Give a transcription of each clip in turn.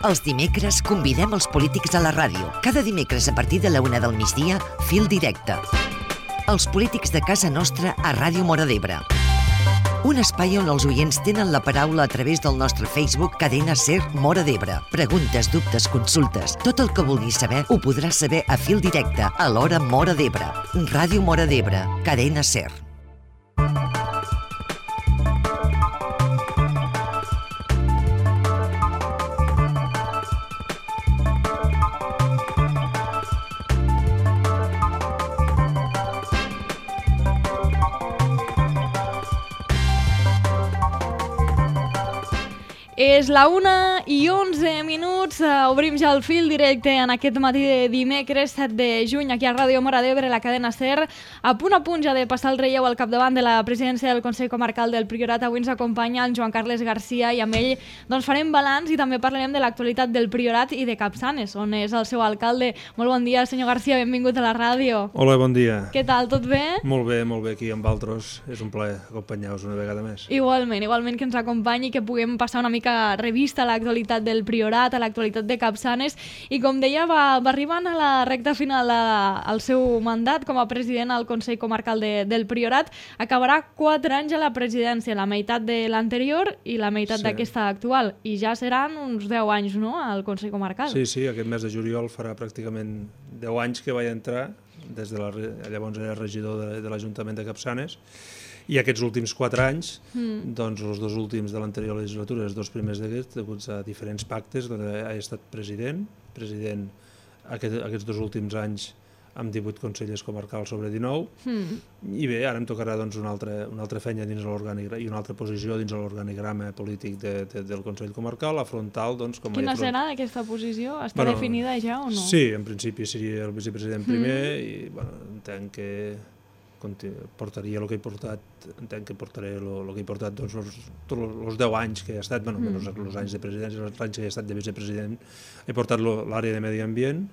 Els dimecres convidem els polítics a la ràdio. Cada dimecres a partir de la 1 del migdia, Fil Directe. Els polítics de casa nostra a Ràdio Móra d'Ebre. Un espai on els oients tenen la paraula a través del nostre Facebook Cadena Ser Móra d'Ebre. Preguntes, dubtes, consultes, tot el que vulguis saber ho podràs saber a Fil Directe a l'hora Móra d'Ebre. Ràdio Móra d'Ebre, Cadena Ser. És la 1:11, obrim ja el fil directe en aquest matí de dimecres 7 de juny aquí a Ràdio Móra d'Ebre, la cadena SER. A punt ja de passar el relleu al capdavant de la presidència del Consell Comarcal del Priorat. Avui ens acompanya el Joan Carles Garcia i amb ell farem balanç i també parlarem de l'actualitat del Priorat i de Capçanes, on és el seu alcalde. Molt bon dia, senyor Garcia, benvingut a la ràdio. Hola, bon dia. Què tal, tot bé? Molt bé, aquí amb altres. És un plaer acompanyar-vos una vegada més. Igualment que ens acompanyi i que puguem passar una mica revista a l'actualitat del Priorat, a l'actualitat de Capçanes, i com deia, va arribant a la recta final al seu mandat com a president al Consell Comarcal del Priorat. Acabarà 4 anys a la presidència, la meitat de l'anterior i la meitat d'aquesta actual, i ja seran uns 10 anys, no?, al Consell Comarcal. Sí, aquest mes de juliol farà pràcticament 10 anys que vaig entrar, des de llavors era regidor de l'Ajuntament de Capçanes, i aquests últims 4 anys, doncs els 2 últims de l'anterior legislatura, els 2 primers d'aquests, deguts a diferents pactes, he estat president aquests 2 últims anys amb 18 consellers comarcals sobre 19, i bé, ara em tocarà una altra feina dins l'organigrama i una altra posició dins l'organigrama polític del Consell Comarcal, afrontal, com... Quina serà aquesta posició? Està definida ja o no? Sí, en principi seria el vicepresident primer, i entenc que portaria el que he portat, entenc que portaré el que he portat tots els 10 anys que he estat, menys els anys de presidència, els anys que he estat de vicepresident, he portat l'àrea de medi ambient.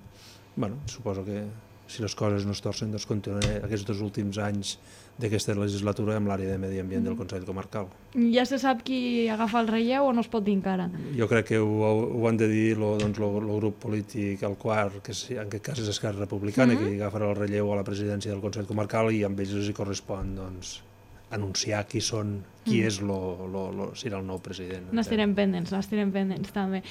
Suposo que si les coses no es torcen, continuaré aquests 2 últims anys d'aquesta legislatura amb l'àrea de medi ambient del Consell Comarcal. Ja se sap qui agafa el relleu o no es pot dir encara? Jo crec que ho han de dir el grup polític, el quart, que en aquest cas és Esquerra Republicana, que agafarà el relleu a la presidència del Consell Comarcal, i amb ells els correspon anunciar qui serà el nou president. N'estirem pendents també.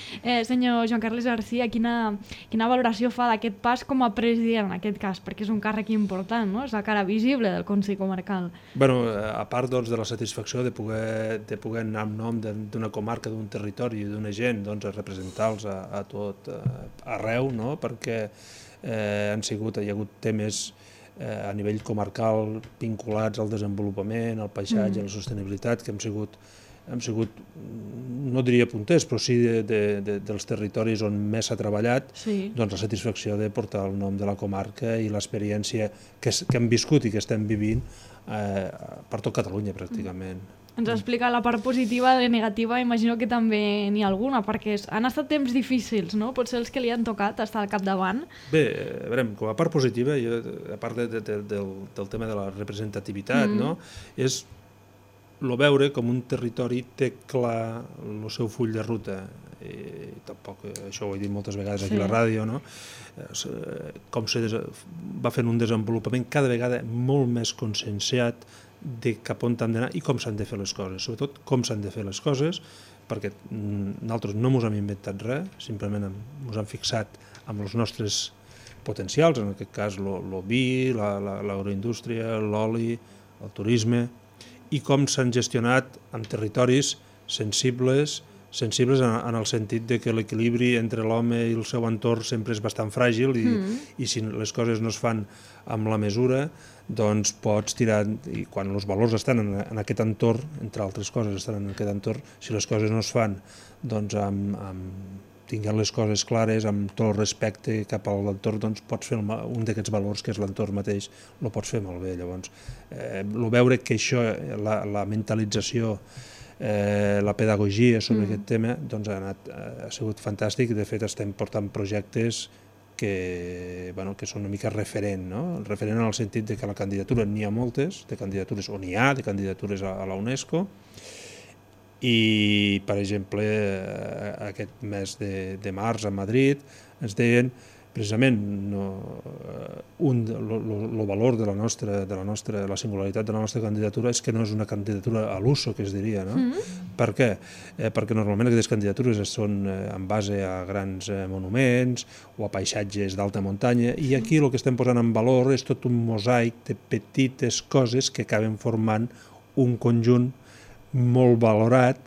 Senyor Joan Carles Garcia, quina valoració fa d'aquest pas com a president, en aquest cas, perquè és un càrrec important, no? És la cara visible del Consell Comarcal. A part de la satisfacció de poder anar en nom d'una comarca, d'un territori, d'una gent, a representar-los a tot arreu, perquè hi ha hagut temes a nivell comarcal vinculats al desenvolupament, al paisatge, a la sostenibilitat, que hem sigut, no diria punters, però sí dels territoris on més s'ha treballat, la satisfacció de portar el nom de la comarca i l'experiència que hem viscut i que estem vivint per tot Catalunya, pràcticament. Ens explica la part positiva i negativa, imagino que també n'hi ha alguna, perquè han estat temps difícils, no? Potser els que li han tocat estar al capdavant. Bé, a veure, com a part positiva, a part del tema de la representativitat, és veure com un territori té clar el seu full de ruta. I tampoc, això ho he dit moltes vegades aquí a la ràdio, com va fent un desenvolupament cada vegada molt més conscienciat de cap on han d'anar i com s'han de fer les coses, sobretot com s'han de fer les coses, perquè nosaltres no ens hem inventat res, simplement ens hem fixat amb els nostres potencials, en aquest cas el vi, l'agroindústria, l'oli, el turisme, i com s'han gestionat en territoris sensibles en el sentit de que l'equilibri entre l'home i el seu entorn sempre és bastant fràgil i si les coses no es fan amb la mesura, doncs pots tirar, i quan els valors estan en aquest entorn, entre altres coses estan en aquest entorn, si les coses no es fan doncs tinguent les coses clares, amb tot el respecte cap a l'entorn, doncs pots fer un d'aquests valors que és l'entorn mateix, el pots fer molt bé. Llavors, veure que això, la mentalització, la pedagogia sobre aquest tema, doncs ha sigut fantàstic, i de fet estem portant projectes que són una mica referent, referent en el sentit que la candidatura n'hi ha moltes, de candidatures on n'hi ha, de candidatures a la UNESCO, I, per exemple, aquest mes de març a Madrid ens deien precisament el valor de la singularitat de la nostra candidatura és que no és una candidatura a l'uso, que es diria, no? Per què? Perquè normalment aquestes candidatures són en base a grans monuments o a paisatges d'alta muntanya, i aquí el que estem posant en valor és tot un mosaic de petites coses que acaben formant un conjunt molt valorat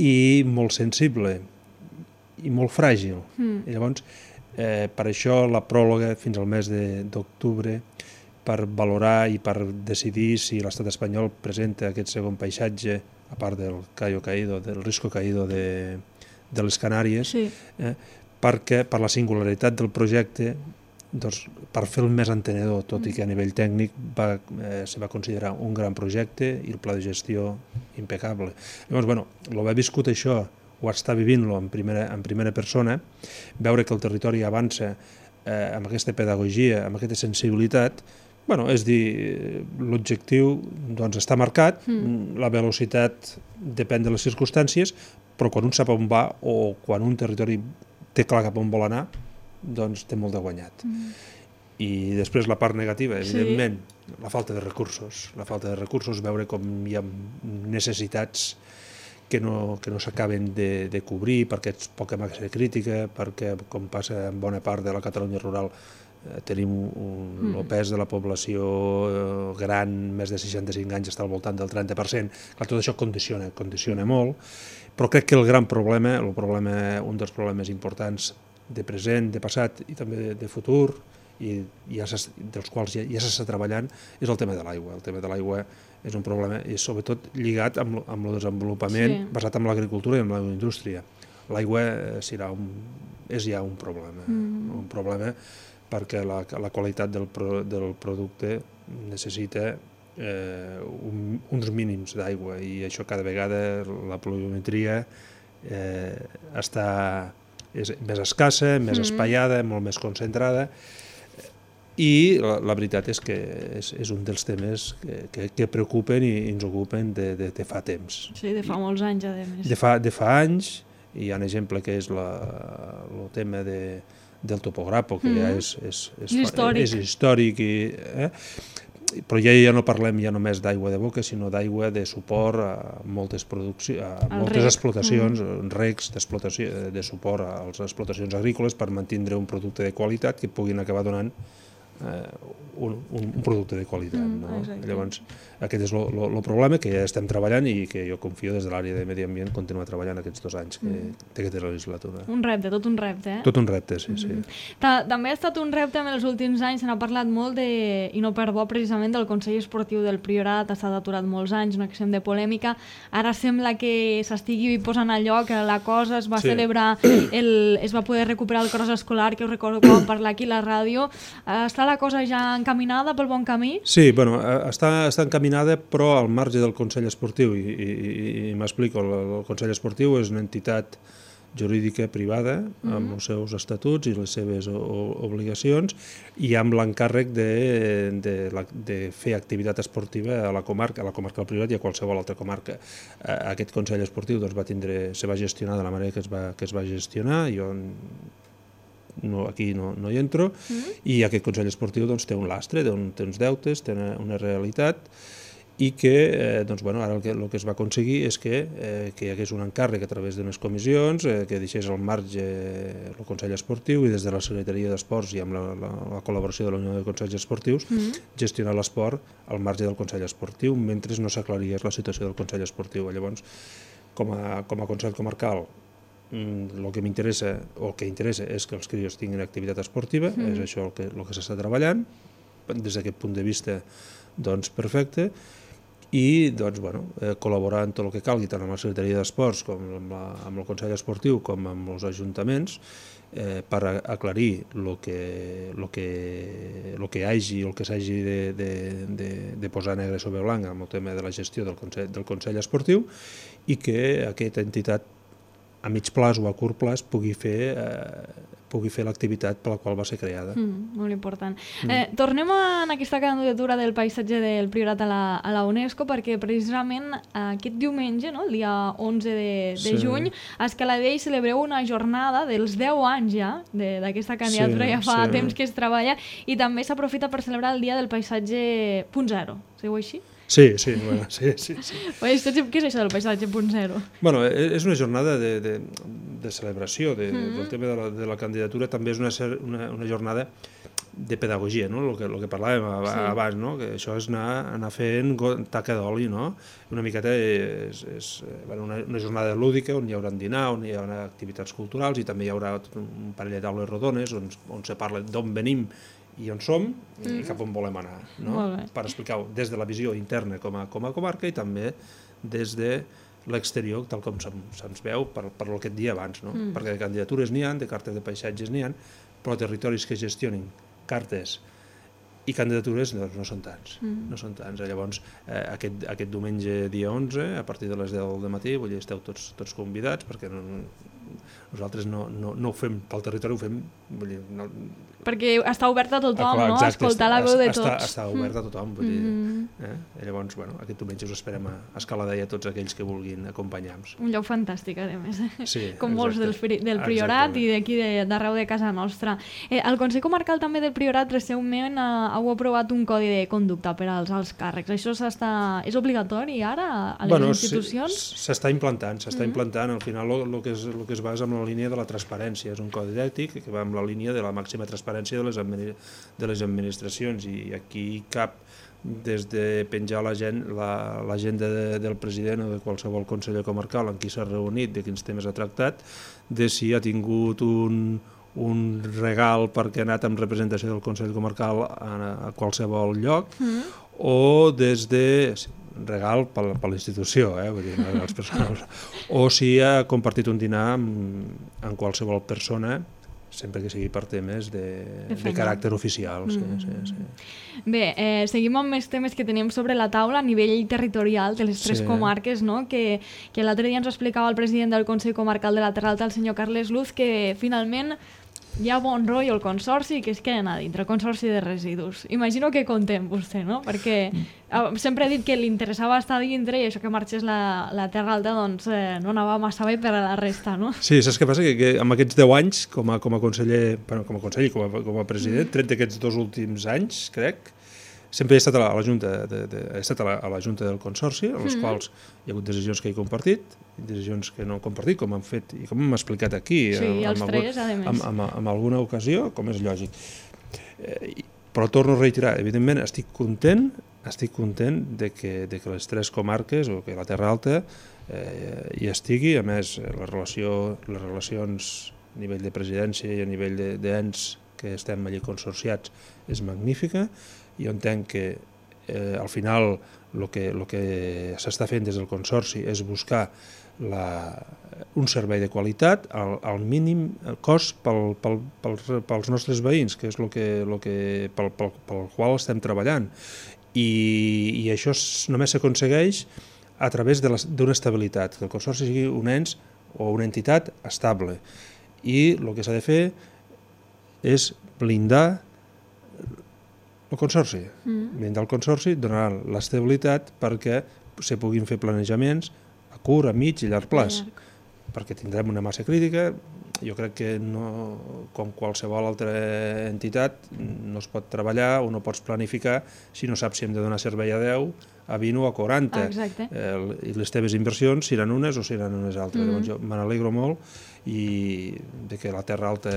i molt sensible i molt fràgil. I llavors, per això la pròrroga fins al mes d'octubre, per valorar i per decidir si l'estat espanyol presenta aquest segon paisatge, a part del Cayo Caído, del Risco Caído de les Canàries, perquè per la singularitat del projecte, per fer-lo més entenedor, tot i que a nivell tècnic se va considerar un gran projecte i el pla de gestió impecable. Llavors, l'haver viscut això, o estar vivint-lo en primera persona, veure que el territori avança amb aquesta pedagogia, amb aquesta sensibilitat, és dir, l'objectiu està marcat, la velocitat depèn de les circumstàncies, però quan un sap on va o quan un territori té clar cap on vol anar, doncs té molt de guanyat. I després la part negativa, evidentment, la falta de recursos, veure com hi ha necessitats que no s'acaben de cobrir perquè és poca massa crítica, perquè, com passa en bona part de la Catalunya rural, tenim el pes de la població gran, més de 65 anys, està al voltant del 30%. Clar, tot això condiciona molt, però crec que el gran problema, un dels problemes importants de present, de passat i també de futur, i dels quals ja s'està treballant, és el tema de l'aigua. El tema de l'aigua és un problema, i sobretot lligat amb el desenvolupament basat en l'agricultura i en l'agroindústria. L'aigua és ja un problema perquè la qualitat del producte necessita uns mínims d'aigua, i això cada vegada la pluviometria és més escassa, més espaiada, molt més concentrada, i la veritat és que és un dels temes que preocupen i ens ocupen de fa temps. Sí, de fa molts anys, a més. De fa anys, hi ha un exemple que és el tema del topograpo, que ja és històric, però ja no parlem ja només d'aigua de boca, sinó d'aigua de suport a moltes explotacions, recs de suport a les explotacions agrícoles per mantenir un producte de qualitat que puguin acabar donant un producte de qualitat. Llavors, aquest és el problema que ja estem treballant i que jo confio des de l'àrea de Medi Ambient continuar treballant aquests 2 anys que té aquesta legislatura. Un repte, tot un repte, Tot un repte, sí. També ha estat un repte en els últims anys, se n'ha parlat molt i no per bo precisament del Consell Esportiu del Priorat, ha estat aturat molts anys, un extrem de polèmica, ara sembla que s'estigui posant a lloc la cosa, es va celebrar, es va poder recuperar el cross escolar, que us recordo quan parlar aquí a la ràdio. Està la cosa ja encaminada pel bon camí? Sí, està encaminada, però al marge del Consell Esportiu, i m'explico, el Consell Esportiu és una entitat jurídica privada, amb els seus estatuts i les seves obligacions, i amb l'encàrrec de fer activitat esportiva a la comarca del Priorat i a qualsevol altra comarca. Aquest Consell Esportiu se va gestionar de la manera que es va gestionar, jo aquí no hi entro, i aquest Consell Esportiu té un lastre, té uns deutes, té una realitat, i que ara el que es va aconseguir és que hi hagués un encàrrec a través d'unes comissions, que deixés al marge el Consell Esportiu, i des de la Secretaria d'Esports i amb la col·laboració de la Unió de Consells Esportius gestionar l'esport al marge del Consell Esportiu mentre no s'aclarís la situació del Consell Esportiu. Llavors, com a Consell Comarcal, el que m'interessa o el que interessa és que els crios tinguin activitat esportiva, és això el que s'està treballant des d'aquest punt de vista, perfecte, i col·laborar en tot el que calgui, tant amb la Secretaria d'Esports com amb el Consell Esportiu com amb els ajuntaments, per aclarir el que hagi o el que s'hagi de posar negre sobre blanc amb el tema de la gestió del Consell Esportiu, i que aquesta entitat a mig plaç o a curt plaç pugui pugui fer l'activitat per la qual va ser creada. Molt important. Tornem en aquesta candidatura del paisatge del Priorat a la UNESCO, perquè precisament aquest diumenge, no, el dia 11 de juny, a Escaladei celebreu una jornada dels 10 anys ja d'aquesta candidatura, ja fa temps que es treballa, i també s'aprofita per celebrar el dia del paisatge .0. Seu així? Sí. Bueno, sí. Què és això del paisatge .0? Bueno, és una jornada de celebració del tema de la candidatura, també és una jornada de pedagogia, no? El que parlàvem abans, no? Que això és anar fent taca d'oli, no? Una miqueta és una jornada lúdica on hi haurà dinar, on hi haurà activitats culturals i també hi haurà un parell de taules rodones on se parla d'on venim i on som i cap on volem anar, no? Per explicar-ho des de la visió interna com a comarca i també des de l'exterior, tal com se'ns veu per el que et dia abans, no? Perquè de candidatures n'hi ha, de cartes de paisatges n'hi ha, però territoris que gestionin cartes i candidatures no són tants. Llavors, aquest diumenge dia 11, a partir de les 10 del matí, vull dir, esteu tots convidats, perquè nosaltres no ho fem pel territori, ho fem... Perquè està obert a tothom, no? Escoltar la veu de tots. Està obert a tothom, vull dir... Llavors, aquest diumenge us esperem a Escaladei a tots aquells que vulguin acompanyar-nos. Un lloc fantàstic, a més. Sí, com molts del Priorat i d'aquí d'arreu de casa nostra. El Consell Comarcal també del Priorat recentment heu aprovat un codi de conducta per als alts càrrecs. Això és obligatori ara a les institucions? S'està implantant. Al final el que es basa en la línia de la transparència. És un codi d'ètic que va amb la línia de la màxima transparència de les administracions, i aquí cap des de penjar l'agenda del president o de qualsevol conseller comarcal en qui s'ha reunit, de quins temes ha tractat, de si ha tingut un regal perquè ha anat amb representació del Consell Comarcal a qualsevol lloc, o des de regal per la institució, vull dir, regals personals, o si ha compartit un dinar amb qualsevol persona, sempre que sigui per temes de caràcter oficial. Bé, seguim amb més temes que tenim sobre la taula a nivell territorial de les tres comarques, no? Que l'altre dia ens explicava el president del Consell Comarcal de la Terra Alta, el senyor Carles Luz, que finalment hi ha bon rotllo al consorci que es queden a dintre, el consorci de residus. Imagino que contem vostè, no? Perquè sempre he dit que li interessava estar dintre i això que marxés la Terra Alta doncs no anava massa bé per a la resta, no? Sí, saps què passa? Que amb aquests 10 anys com a conseller, com a president, tret d'aquests 2 últims anys, crec, sempre he estat a la Junta Junta del Consorci, en les quals hi ha hagut decisions que he compartit, decisions que no he compartit, com han fet i com hem explicat aquí, en alguna ocasió, com és lògic. Però torno a reiterar, evidentment estic content de que les tres comarques, o que la Terra Alta hi estigui. A més, les relacions a nivell de presidència i a nivell d'ens que estem allí consorciats és magnífica. Jo entenc que al final el que s'està fent des del Consorci és buscar un servei de qualitat al mínim cost pels nostres veïns, que és pel qual estem treballant. I això només s'aconsegueix a través d'una estabilitat, que el Consorci sigui un ens o una entitat estable. I el que s'ha de fer és blindar el Consorci. Blindar el Consorci donarà l'estabilitat perquè se puguin fer planejaments a curt, a mig i llarg plaç. Perquè tindrem una massa crítica. Jo crec que com qualsevol altra entitat no es pot treballar o no pots planificar si no saps si hem de donar servei a 10, a 20 o a 40. I les teves inversions seran unes o seran unes altres. Llavors jo me n'alegro molt de que la Terra Alta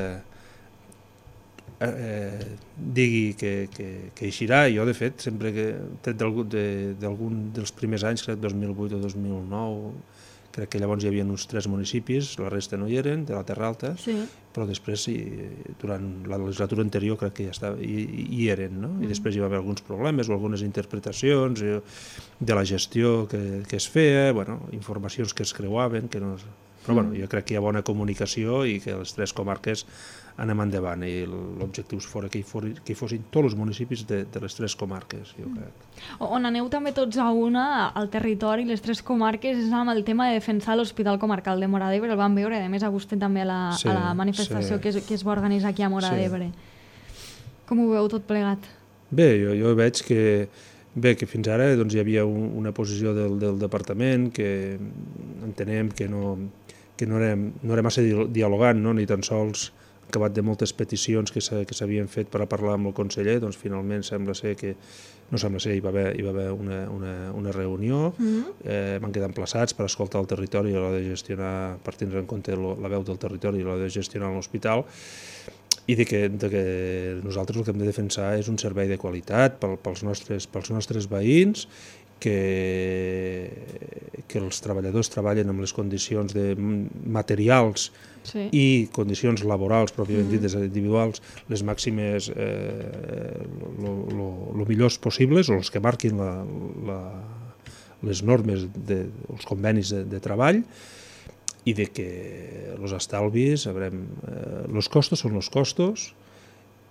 digui que eixirà. Jo, de fet, sempre que tret d'algun dels primers anys, crec 2008 o 2009, crec que llavors hi havia uns 3 municipis, la resta no hi eren, de la Terra Alta, però després, durant la legislatura anterior, crec que ja hi eren, no? I després hi va haver alguns problemes o algunes interpretacions de la gestió que es feia, informacions que es creuaven, que no... Però bueno, jo crec que hi ha bona comunicació i que les 3 comarques anem endavant i l'objectiu fora que hi fossin tots els municipis de les 3 comarques, jo crec. On aneu també tots a una, al territori, les 3 comarques, és amb el tema de defensar l'Hospital Comarcal de Móra d'Ebre, el vam veure, a més a vostè també a la manifestació que es va organitzar aquí a Móra d'Ebre. Com ho veu tot plegat? Bé, jo veig que fins ara doncs, hi havia una posició del departament que entenem que no era massa dialogant, no? Ni tan sols acabat de moltes peticions que s'havien fet per a parlar amb el conseller, doncs finalment hi va haver una reunió, van quedar emplaçats per escoltar el territori a l'hora de gestionar, per tindre en compte la veu del territori a l'hora de gestionar l'hospital, i de que nosaltres el que hem de defensar és un servei de qualitat pels nostres veïns, que els treballadors treballen amb les condicions materials i condicions laborals, pròpiament dites individuals, les màximes, el millors possibles, o els que marquin les normes, els convenis de treball, i de que els estalvis, els costos són els costos,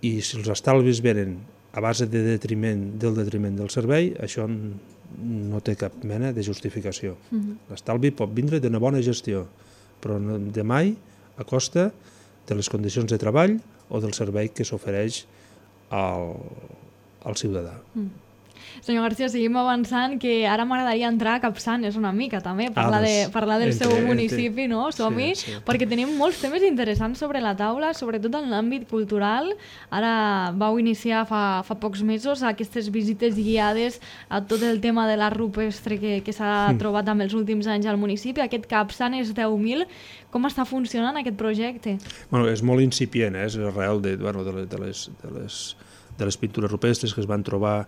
i si els estalvis venen a base del detriment del servei, això no té cap mena de justificació. L'estalvi pot vindre d'una bona gestió, però de mai a costa de les condicions de treball o del servei que s'ofereix al ciutadà. Senyor García, seguim avançant, que ara m'agradaria entrar a Capçanes una mica també, parlar del seu municipi, no? Som-hi, perquè tenim molts temes interessants sobre la taula, sobretot en l'àmbit cultural. Ara vau iniciar fa pocs mesos aquestes visites guiades a tot el tema de l'art rupestre que s'ha trobat en els últims anys al municipi, aquest Capçanes 10.000. Com està funcionant aquest projecte? És molt incipient, és arrel de les pintures rupestres que es van trobar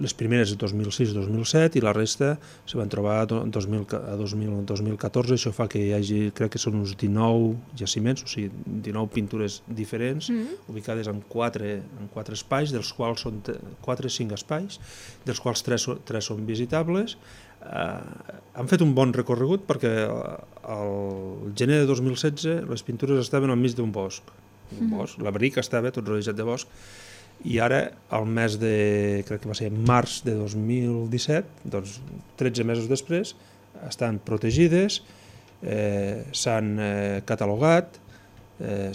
les primeres de 2006-2007 i la resta se van trobar a 2014. Això fa que hi hagi, crec que són uns 19 jaciments, o sigui, 19 pintures diferents, ubicades en 4 espais, dels quals són 4 o 5 espais, dels quals 3 són visitables. Han fet un bon recorregut perquè al gener de 2016 les pintures estaven al mig d'un bosc, l'abric estava tot rodejat de bosc, i ara, al mes de, crec que va ser març de 2017, doncs 13 mesos després, estan protegides, s'han catalogat,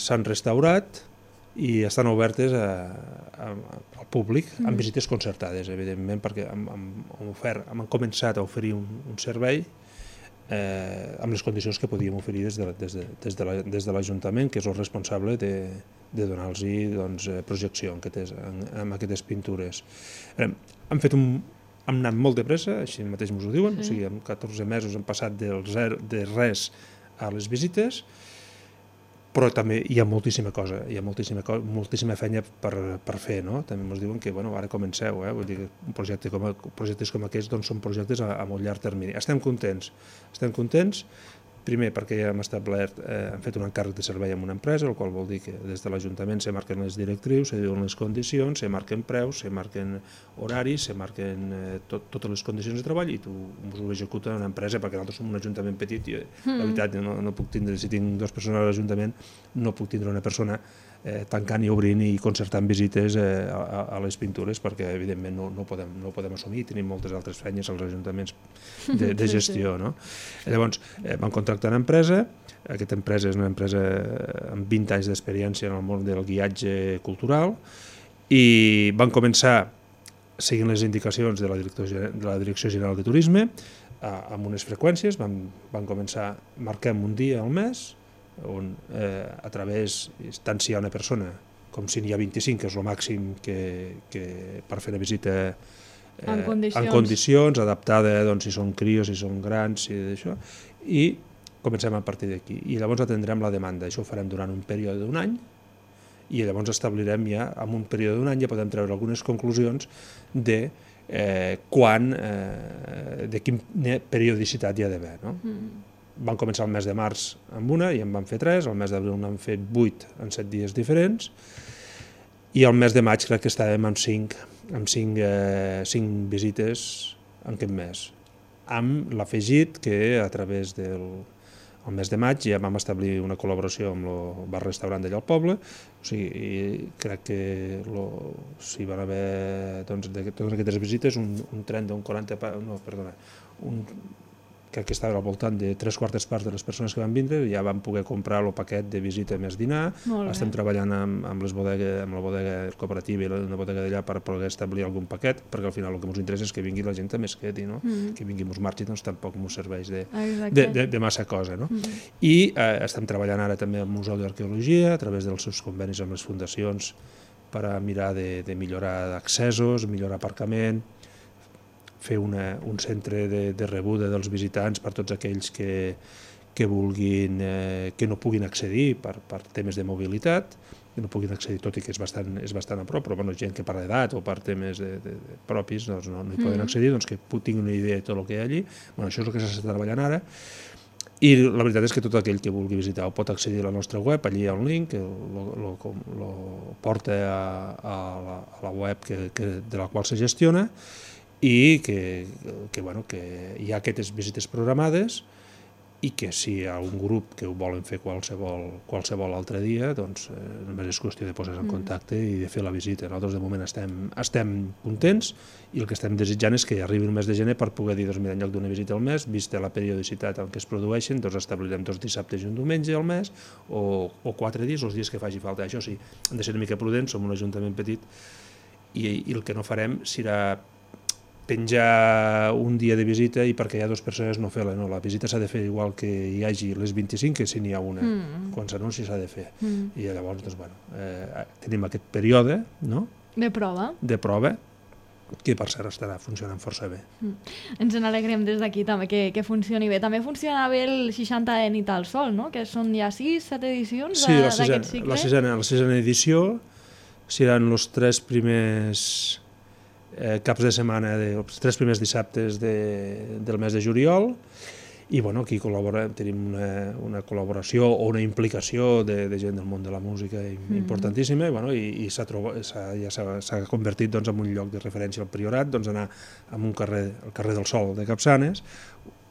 s'han restaurat i estan obertes al públic amb visites concertades, evidentment, perquè hem començat a oferir un servei amb les condicions que podíem oferir des de l'Ajuntament, que és el responsable de donar-los projecció en aquestes pintures. Hem anat molt de pressa, així mateix ens ho diuen, o sigui, en 14 mesos hem passat de res a les visites, però també hi ha moltíssima cosa, hi ha moltíssima feina per fer, no? També ens diuen que ara comenceu, vull dir que projectes com aquests són projectes a molt llarg termini. Estem contents, primer perquè ja hem establert, hem fet un encàrrec de servei amb una empresa, el qual vol dir que des de l'Ajuntament se marquen les directrius, se diuen les condicions, se marquen preus, se marquen horaris, se marquen totes les condicions de treball i tu ho executa una empresa, perquè nosaltres som un ajuntament petit i la veritat no puc tindre, si tinc 2 persones a l'Ajuntament, no puc tindre una persona tancant i obrint i concertant visites a les pintures, perquè evidentment no podem assumir, tenim moltes altres feines als ajuntaments de gestió, no? Llavors vam contractar una empresa, aquesta empresa és una empresa amb 20 anys d'experiència en el món del guiatge cultural, i van començar seguint les indicacions de la Direcció General de Turisme amb unes freqüències. Van començar, marquem un dia al mes on a través, tant si hi ha una persona com si n'hi ha 25, que és el màxim per fer una visita en condicions, adaptada si són crios, si són grans, i comencem a partir d'aquí. I llavors atendrem la demanda. Això ho farem durant un període d'un any, i llavors establirem ja, en un període d'un any, ja podem treure algunes conclusions de quina periodicitat hi ha d'haver, no? Van començar el mes de març amb una i en van fer 3, el mes d'abril n'han fet 8 en 7 dies diferents, i el mes de maig crec que estàvem amb 5 visites en aquest mes, amb l'afegit que a través al mes de maig ja vam establir una col·laboració amb el bar-restaurant d'allà al poble, o sigui, crec que si van haver de totes aquestes visites un tren d'un 40, crec que estava al voltant de 3/4 parts de les persones que van vindre, ja van poder comprar el paquet de visita més dinar. Estem treballant amb la bodega cooperativa i la bodega d'allà per poder establir algun paquet, perquè al final el que ens interessa és que vingui la gent també es quedi, no? Que vingui ens marxi, doncs tampoc ens serveix de massa cosa, no? I estem treballant ara també amb el Museu d'Arqueologia a través dels seus convenis amb les fundacions per a mirar de millorar accessos, millorar aparcament, fer un centre de rebuda dels visitants per tots aquells que vulguin, que no puguin accedir per temes de mobilitat, que no puguin accedir, tot i que és bastant a prop, però gent que per edat o per temes propis no hi poden accedir, doncs que tinguin una idea de tot el que hi ha allí. Això és el que s'està treballant ara, i la veritat és que tot aquell que vulgui visitar ho pot accedir a la nostra web, allí hi ha un link que el porta a la web de la qual se gestiona, i que hi ha aquestes visites programades i que si hi ha un grup que ho volen fer qualsevol altre dia, doncs només és qüestió de posar-se en contacte i de fer la visita. Nosaltres de moment estem contents i el que estem desitjant és que arribi el mes de gener per poder dir, doncs mira, en lloc d'una visita al mes, vista la periodicitat en què es produeixen, doncs establirem 2 dissabtes i un diumenge al mes o 4 dies, els dies que faci falta. Això sí, hem de ser una mica prudents, som un ajuntament petit i el que no farem serà penjar un dia de visita i perquè hi ha 2 persones no fer-la. No, la visita s'ha de fer igual que hi hagi les 25 que si n'hi ha una. Quan s'anunci s'ha de fer. I llavors, doncs, tenim aquest període de prova, que per cert estarà funcionant força bé. Ens n'alegrem des d'aquí també que funcioni bé. També funciona bé el 60 Nit al Sol, no? Que són ja 6-7 edicions d'aquest cicle. Sí, la sisena edició seran els 3 primers caps de setmana, els 3 primers dissabtes del mes de juliol, i aquí tenim una col·laboració o una implicació de gent del món de la música importantíssima, i ja s'ha convertit en un lloc de referència al Priorat, anar a un carrer, el carrer del Sol de Capçanes,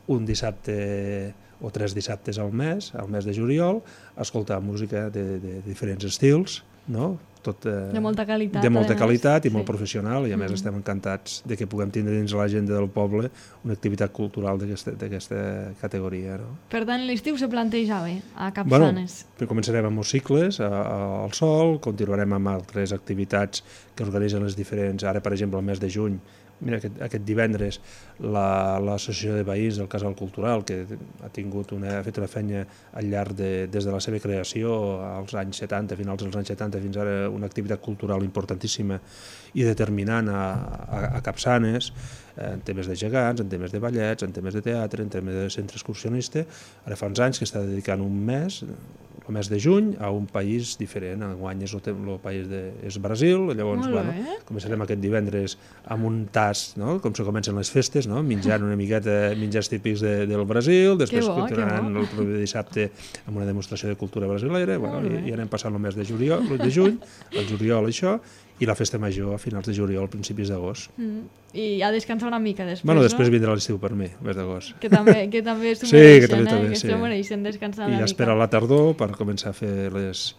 un dissabte o 3 dissabtes al mes de juliol, escoltar música de diferents estils, de molta qualitat i molt professional, i a més estem encantats de que puguem tindre dins l'agenda del poble una activitat cultural d'aquesta categoria. Per tant, l'estiu se planteja bé a Capçanes. Començarem amb els cicles al Sol, continuarem amb altres activitats que organitzen les diferents, ara per exemple el mes de juny. Mira, aquest divendres l'Associació de Veïns del Casal Cultural, que ha fet una feina al llarg des de la seva creació als anys 70, finals dels anys 70, fins ara una activitat cultural importantíssima i determinant a Capçanes, en temes de gegants, en temes de ballets, en temes de teatre, en temes de centre excursionista. Ara fa uns anys que està dedicant un mes, el mes de juny, a un país diferent. Enguany el país és Brasil, llavors començarem aquest divendres amb un tast, com se comencen les festes, menjant una miqueta menjars típics del Brasil, després continuaran el proper dissabte amb una demostració de cultura brasilera, i anem passant el mes de juny, el juliol això, i la festa major a finals de juliol, principis d'agost. I a descansar una mica després, després vindrà l'estiu per mi, el mes d'agost. Que també s'ho mereixen descansar una mica. I espera la tardor per començar a fer les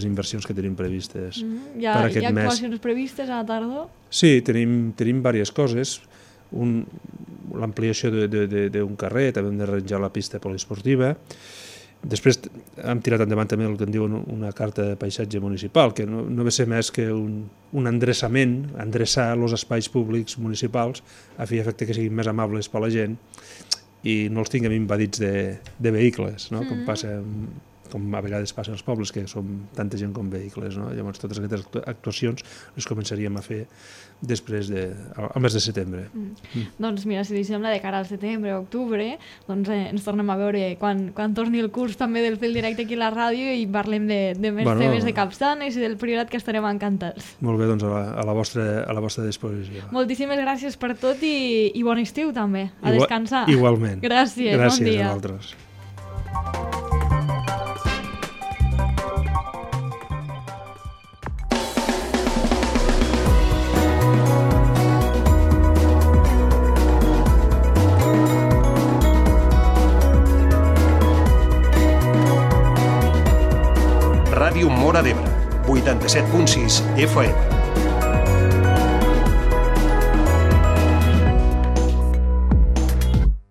inversions que tenim previstes per aquest mes. Hi ha actuacions previstes a la tardor? Sí, tenim diverses coses. L'ampliació d'un carrer, també hem d'arranjar la pista poliesportiva. Després hem tirat endavant també el que en diuen una carta de paisatge municipal, que no ve ser més que un endreçament, endreçar els espais públics municipals a fi i efecte que siguin més amables per a la gent i no els tinguem invadits de vehicles, com a vegades passa als pobles, que som tanta gent com vehicles. Llavors totes aquestes actuacions les començaríem a fer després al mes de setembre. Doncs mira, si li sembla, de cara al setembre o octubre, doncs ens tornem a veure quan torni el curs també del Fil Directe aquí a la ràdio i parlem de més temes de Capçanes i del Priorat, que estarem encantats. Molt bé, doncs a la vostra disposició. Moltíssimes gràcies per tot i bon estiu també. A descansar. Igualment. Gràcies, bon dia. Gràcies a vosaltres. Ràdio Móra d'Ebre, 87.6 FM.